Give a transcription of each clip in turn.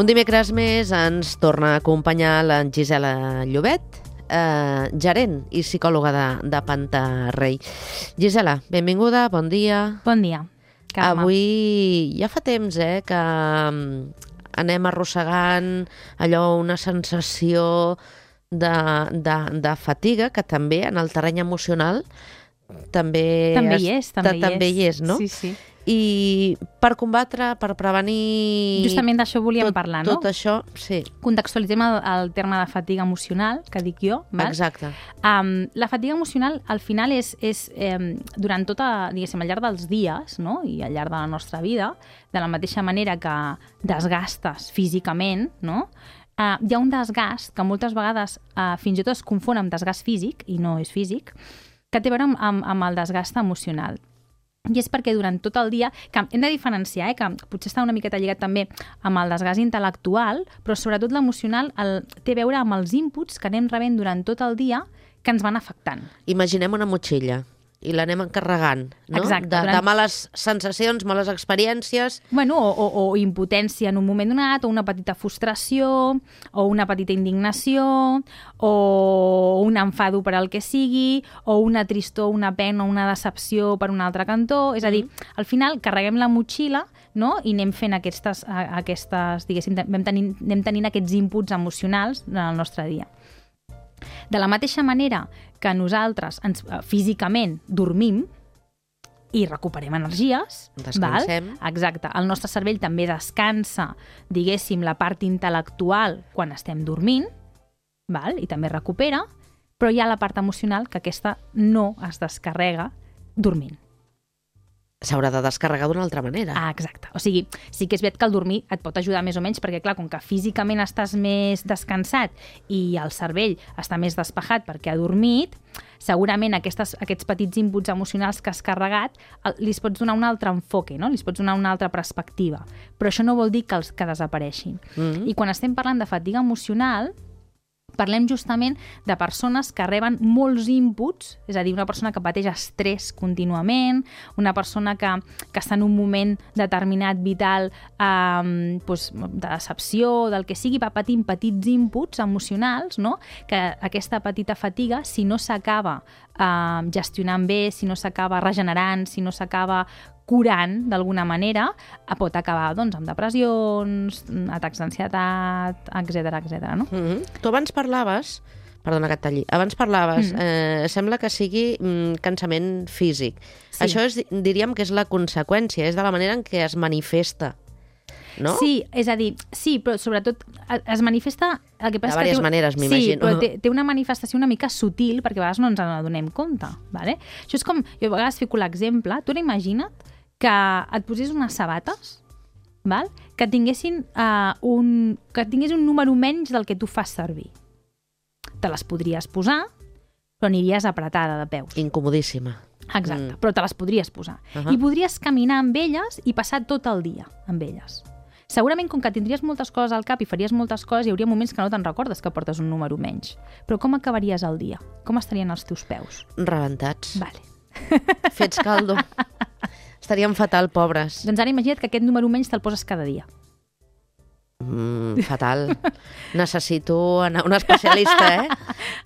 Un dimecres més ens torna a acompanyar la Gisela Llobet, gerent i psicòloga de Pantarrey. Gisela, benvinguda, bon dia. Bon dia, Carme. Avui ja fa temps que anem arrossegant allò, una sensació de fatiga, que també en el terreny emocional també hi és, no? Sí, sí. I per combatre, per prevenir... Justament d'això volíem parlar, no? Tot això, sí. Contextualitzem el terme de fatiga emocional, que dic jo, val? Exacte. La fatiga emocional, al final, és durant tota, diguéssim, al llarg dels dies, no? I al llarg de la nostra vida, de la mateixa manera que desgastes físicament, no? Hi ha un desgast que moltes vegades fins i tot es confon amb desgast físic, i no és físic, que té a veure amb el desgast emocional. I és perquè durant tot el dia, que hem de diferenciar, que potser està una miqueta lligat també amb el desgast intel·lectual, però sobretot l'emocional té a veure amb els inputs que anem rebent durant tot el dia que ens van afectant. Imaginem una motxilla i l'anem encarregant, no? Exacte. De males sensacions, males experiències... Bueno, o impotència en un moment donat, o una petita frustració, o una petita indignació, o un enfado per al que sigui, o una tristor, una pena, una decepció per un altre cantó. És a dir, al final carreguem la motxilla, no? I anem fent aquestes diguéssim, anem tenint aquests inputs emocionals en el nostre dia. De la mateixa manera que nosaltres físicament dormim i recuperem energies, descansem. Val? Exacte. El nostre cervell també descansa, diguéssim, la part intel·lectual quan estem dormint, val? I també recupera, però hi ha la part emocional que aquesta no es descarrega dormint. S'haurà de descarregar d'una altra manera. Exacte. O sigui, sí que és veritat que el dormir et pot ajudar més o menys, perquè clar, com que físicament estàs més descansat i el cervell està més despejat perquè ha dormit, segurament aquests petits inputs emocionals que has carregat li pots donar un altre enfoque, no? Li pots donar una altra perspectiva. Però això no vol dir que desapareixin. I quan estem parlant de fatiga emocional, parlem justament de persones que reben molts inputs, és a dir, una persona que pateix estrès contínuament, una persona que està en un moment determinat vital de decepció, del que sigui, va patint petits inputs emocionals, no? Que aquesta petita fatiga, si no s'acaba gestionant bé, si no s'acaba regenerant, si no s'acaba curant d'alguna manera, pot acabar doncs, amb depressions, atacs d'ansietat, etc. No? Tu abans parlaves, perdona que et talli, sembla que sigui cansament físic. Sí. Això diríem que és la conseqüència, és de la manera en què es manifesta. No? Sí, és a dir, sí, però sobretot es manifesta... El que passa de diverses maneres, m'imagino. Sí, però té una manifestació una mica sutil, perquè a vegades no ens n'adonem compte. Vale? Això és com, jo a vegades fico l'exemple, tu imagina't que et posés unes sabates, val? Que tinguessin un número menys del que tu fas servir. Te les podries posar, però aniries apretada de peus. Incomodíssima. Exacte, però te les podries posar. I podries caminar amb elles i passar tot el dia amb elles. Segurament, com que tindries moltes coses al cap i faries moltes coses, hi hauria moments que no te'n recordes que portes un número menys. Però com acabaries el dia? Com estarien els teus peus? Rebentats. Vale. Fets caldo. Estaríem fatal, pobres. Doncs ara imagina't que aquest número menys te'l poses cada dia. Fatal. Necessito anar a un especialista,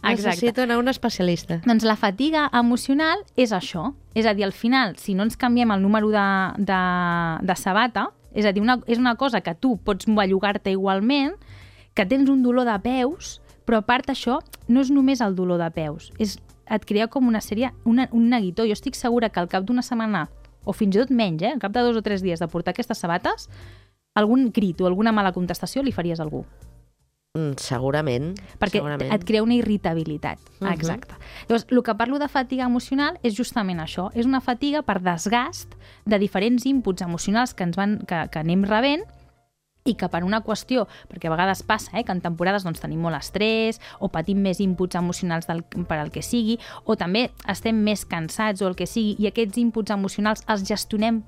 Necessito anar a un especialista. Doncs la fatiga emocional és això. És a dir, al final, si no ens canviem el número de sabata, és a dir, és una cosa que tu pots bellugar-te igualment, que tens un dolor de peus, però a part això no és només el dolor de peus, et crea com una sèrie, un neguitó. Jo estic segura que al cap d'una setmana, o fins i tot menys, al cap de 2 o 3 dies de portar aquestes sabates, algun crit o alguna mala contestació li faries a algú. Segurament. Perquè et crea una irritabilitat. Exacte. Llavors, el que parlo de fatiga emocional és justament això. És una fatiga per desgast de diferents inputs emocionals que anem rebent i que per una qüestió, perquè a vegades passa que en temporades doncs, tenim molt estrès o patim més inputs emocionals per al que sigui, o també estem més cansats o el que sigui, i aquests inputs emocionals els gestionem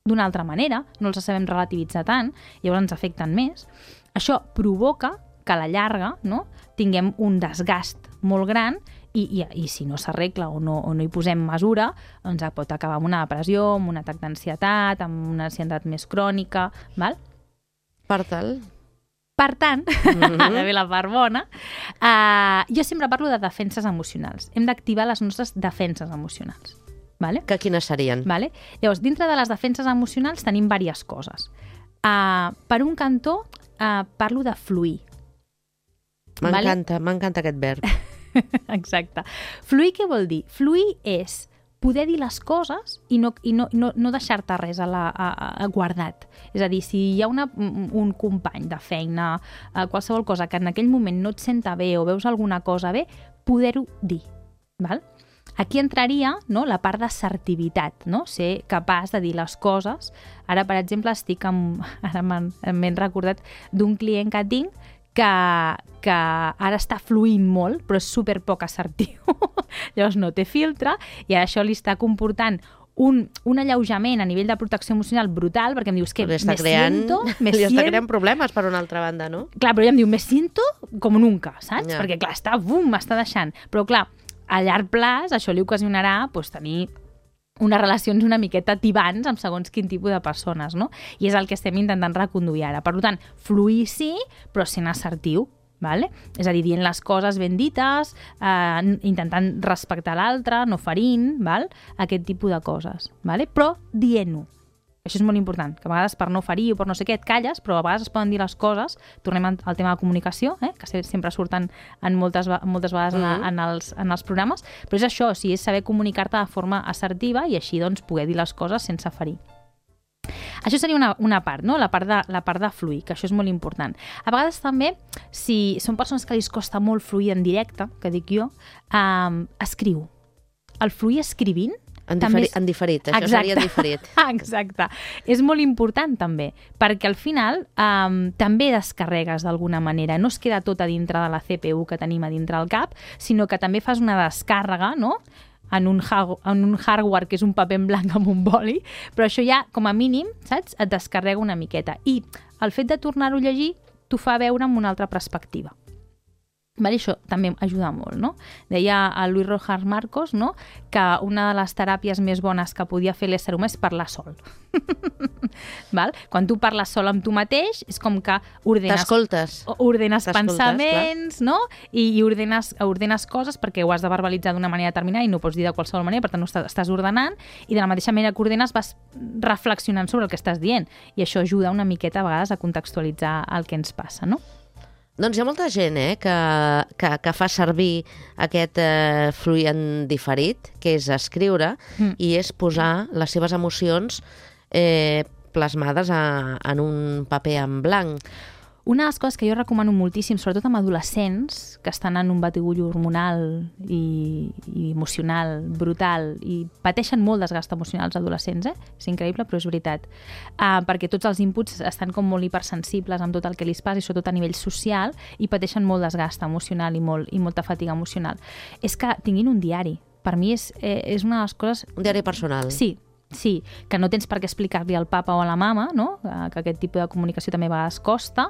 d'una altra manera, no els sabem relativitzar tant, llavors ens afecten més. Això provoca que a la llarga, no, tinguem un desgast molt gran i si no s'arregla o no hi posem mesura, doncs pot acabar amb una depressió, amb un atac d'ansietat, amb una ansietat més crònica, val? Per tal, Per tant, ara ve la part bona, jo sempre parlo de defenses emocionals. Hem d'activar les nostres defenses emocionals. Vale? Que quines serien? Vale? Llavors, dintre de les defenses emocionals tenim diverses coses. Per un cantó, parlo de fluir. M'encanta aquest verb. Exacte. Fluir què vol dir? Fluir és poder dir les coses i no deixar-te res guardat. És a dir, si hi ha un company de feina, qualsevol cosa que en aquell moment no et senta bé o veus alguna cosa bé, poder-ho dir. Val? Aquí entraria, no, la part d'assertivitat, no? Ser capaç de dir les coses. Ara, per exemple, ara m'he recordat d'un client que tinc que ara està fluint molt, però és superpoc assertiu. Llavors no té filtre i ara això li està comportant un alleujament a nivell de protecció emocional brutal, perquè em dius que li està creant problemes per una altra banda, no? Clar, però ella em diu, me siento com nunca, saps? Ja. Perquè clar, m'està deixant. Però clar, a llarg plaç això li ocasionarà tenir unes relacions una miqueta tibants amb segons quin tipus de persones, no? I és el que estem intentant reconduir ara. Per tant, fluir sí, però sent assertiu, vale? És a dir, dient les coses ben dites, intentant respectar l'altre, no ferint, val? Aquest tipus de coses, vale? Però dient-ho. Això és molt important, que a vegades per no ferir o per no sé què et calles, però a vegades es poden dir les coses. Tornem al tema de comunicació, que sempre surten moltes vegades en els programes, però és això, és saber comunicar-te de forma assertiva i així doncs poder dir les coses sense ferir. Això seria una part, no? La part de fluir, que això és molt important. A vegades també, si són persones que els costa molt fluir en directe, que dic jo, escriu. El fluir escrivint En diferit, això seria en diferit. Exacte. És molt important també, perquè al final també descarregues d'alguna manera. No es queda tot a dintre de la CPU que tenim a dintre del cap, sinó que també fas una descàrrega, no?, en un hardware que és un paper en blanc amb un boli, però això ja, com a mínim, saps?, et descarrega una miqueta. I el fet de tornar-ho a llegir t'ho fa veure amb una altra perspectiva. Vale, això també ajuda molt, no? Deia a Luis Rojas Marcos, no?, que una de les teràpies més bones que podia fer l'ésser humà és parlar sol. Val? Quan tu parles sol amb tu mateix, és com que ordenes pensaments, no? I ordenes coses perquè ho has de verbalitzar d'una manera determinada i no ho pots dir de qualsevol manera, per tant estàs ordenant, i de la mateixa manera que ordenes vas reflexionant sobre el que estàs dient, i això ajuda una miqueta a vegades a contextualitzar el que ens passa, no? Doncs hi ha molta gent que fa servir aquest fluir en diferit, que és escriure, i és posar les seves emocions plasmades en un paper en blanc. Una de les coses que jo recomano moltíssim, sobretot amb adolescents que estan en un batibull hormonal i emocional brutal i pateixen molt desgast emocional els adolescents, és increïble, però és veritat. Perquè tots els inputs estan com molt hipersensibles amb tot el que li passa, i sobretot a nivell social, i pateixen molt desgast emocional i molta fatiga emocional. És que tinguin un diari. Per mi és una de les coses... Un diari personal. Sí, que no tens per què explicar-li al papa o a la mama, no?, que aquest tipus de comunicació també a vegades costa,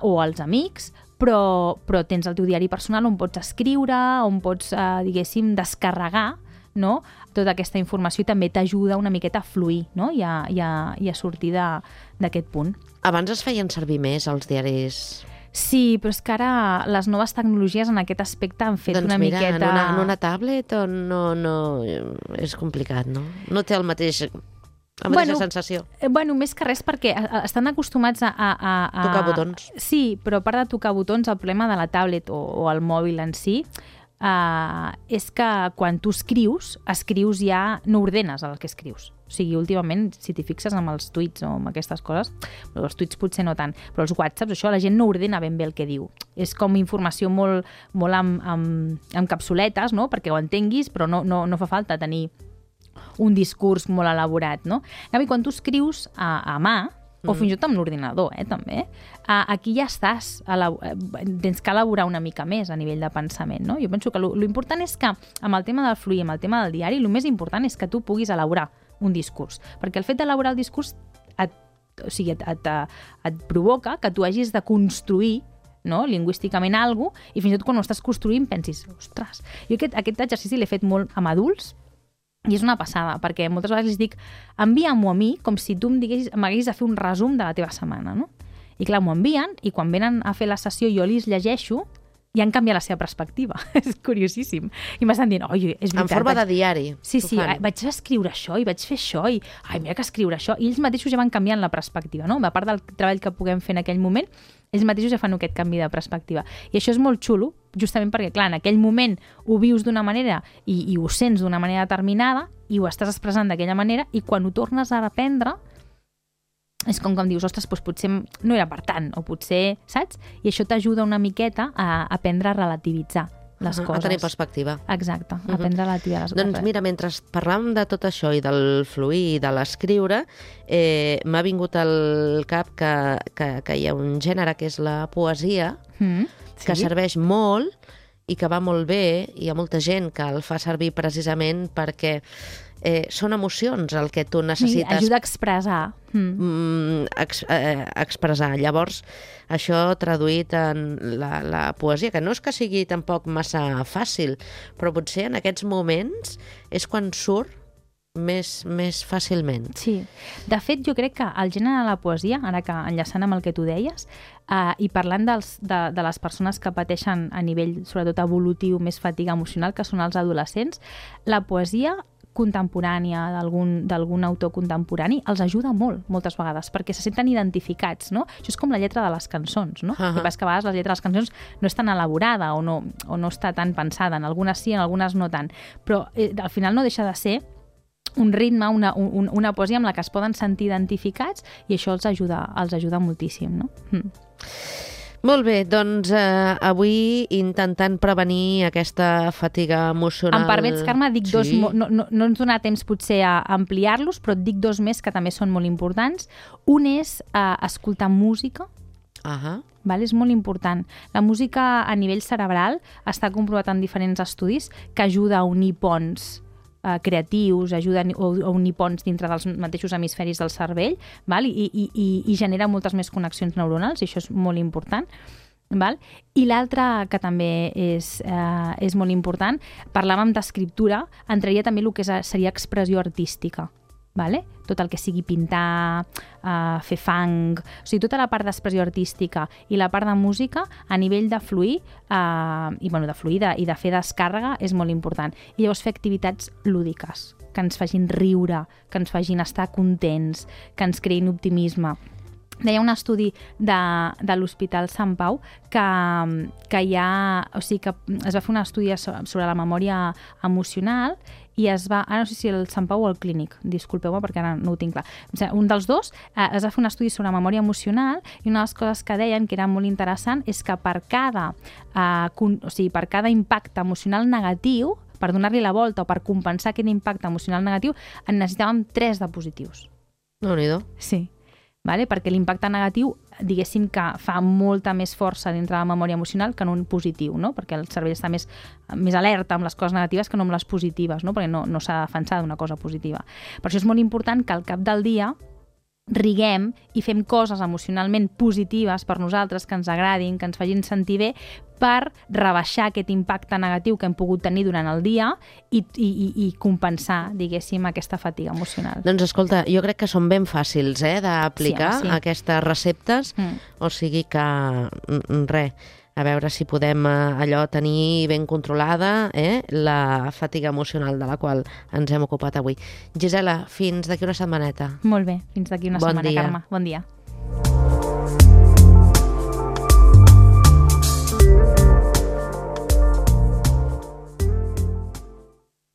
o als amics, però tens el teu diari personal on pots escriure, on pots, diguéssim, descarregar, no?, tota aquesta informació, i també t'ajuda una miqueta a fluir, no?, i a sortir d'aquest punt. Abans es feien servir més els diaris... Sí, però és que ara les noves tecnologies en aquest aspecte han fet una miqueta... En una tablet no és complicat, no? No té la mateixa sensació. Bueno, més que res perquè estan acostumats a... Tocar botons. Sí, però a part de tocar botons, el problema de la tablet o el mòbil en si és que quan tu escrius ja no ordenes el que escrius. O sigui, últimament, si t'hi fixes amb els tuits o amb aquestes coses, els tuits potser no tant, però els whatsapps, això, la gent no ordena ben bé el que diu. És com informació molt amb capsuletes, no?, perquè ho entenguis, però no fa falta tenir un discurs molt elaborat, no? En canvi, quan tu escrius a mà, o fins i tot amb l'ordinador, també, aquí ja estàs, tens que elaborar una mica més a nivell de pensament, no? Jo penso que l'important és que amb el tema del fluir, amb el tema del diari, el més important és que tu puguis elaborar un discurs, perquè el fet d'elaborar el discurs et provoca que tu hagis de construir, no?, lingüísticament alguna cosa, i fins i tot quan ho estàs construint pensis, ostres, jo aquest exercici l'he fet molt amb adults, i és una passada, perquè moltes vegades els dic, envia-m'ho a mi com si tu m'haguessis de fer un resum de la teva setmana, no? I clar, m'ho envien i quan venen a fer la sessió jo els llegeixo i han canviat la seva perspectiva. És curiosíssim. I m'estan dient, oi, és veritat. En forma de diari. Sí, vaig escriure això i vaig fer això i, ai, mira que escriure això. I ells mateixos ja van canviant la perspectiva, no? A part del treball que puguem fer en aquell moment, ells mateixos ja fan aquest canvi de perspectiva. I això és molt xulo, justament perquè, clar, en aquell moment ho vius d'una manera i ho sents d'una manera determinada i ho estàs expressant d'aquella manera i quan ho tornes a aprendre és com dius, ostres, doncs potser no era per tant, o potser, saps? I això t'ajuda una miqueta a aprendre a relativitzar les coses. A tenir perspectiva. Exacte, a aprendre a relativitzar les coses. Doncs mira, mentre parlàvem de tot això i del fluir i de l'escriure, m'ha vingut al cap que hi ha un gènere que és la poesia, que serveix molt i que va molt bé, i hi ha molta gent que el fa servir precisament perquè són emocions el que tu necessites. Sí, ajuda a expressar. Expressar. Llavors, això traduït en la poesia, que no és que sigui tampoc massa fàcil, però potser en aquests moments és quan surt més fàcilment. Sí. De fet, jo crec que el gènere de la poesia, ara que enllaçant amb el que tu deies, i parlant de les persones que pateixen a nivell, sobretot evolutiu, més fatiga emocional, que són els adolescents, la poesia contemporània d'algun autor contemporani els ajuda molt, moltes vegades, perquè se senten identificats, no? Això és com la lletra de les cançons, no? El que passa que a vegades la lletra de les cançons no és tan elaborada o no està tan pensada, en algunes sí, en algunes no tant, però al final no deixa de ser un ritme, una poesia amb la que es poden sentir identificats i això els ajuda moltíssim, no? Molt bé, doncs avui intentant prevenir aquesta fatiga emocional... Em permets, Carme, dic dos... No ens donarà temps potser a ampliar-los, però et dic dos més que també són molt importants. Un és escoltar música. Vale? És molt important. La música a nivell cerebral està comprovat en diferents estudis que ajuda a unir ponts creatius, ajuden a unir ponts dintre dels mateixos hemisferis del cervell, val? I genera moltes més connexions neuronals, i això és molt important. Val? I l'altre, que també és molt important, parlàvem d'escriptura, entraria també el que seria expressió artística. Vale? Tot el que sigui pintar, fer fang, o sigui, tota la part d'expressió artística i la part de música a nivell de fluir i de fer descàrrega és molt important. I llavors fer activitats lúdiques, que ens facin riure, que ens facin estar contents, que ens creïn optimisme. Deia un estudi de l'Hospital Sant Pau que hi ha... O sigui, que es va fer un estudi sobre la memòria emocional i es va... Ara no sé si el Sant Pau o el Clínic, disculpeu-me perquè ara no ho tinc clar. O sigui, un dels dos es va fer un estudi sobre memòria emocional i una de les coses que deien, que era molt interessant, és que per cada impacte emocional negatiu, per donar-li la volta o per compensar aquest impacte emocional negatiu, en necessitàvem 3 de positius. Déu-n'hi-do. Sí. Vale? Perquè l'impacte negatiu, diguéssim que fa molta més força dintre de la memòria emocional que en un positiu, no? Perquè el cervell està més alerta amb les coses negatives que no amb les positives, no? Perquè no s'ha de defensar d'una cosa positiva. Per això és molt important que al cap del dia riguem i fem coses emocionalment positives per nosaltres, que ens agradin, que ens facin sentir bé, per rebaixar aquest impacte negatiu que hem pogut tenir durant el dia i compensar, diguéssim, aquesta fatiga emocional. Doncs escolta, jo crec que són ben fàcils d'aplicar aquestes receptes, o sigui que res, a veure si podem allò tenir ben controlada la fatiga emocional de la qual ens hem ocupat avui. Gisela, fins d'aquí una setmaneta. Molt bé, fins d'aquí una setmana, Carme. Bon dia.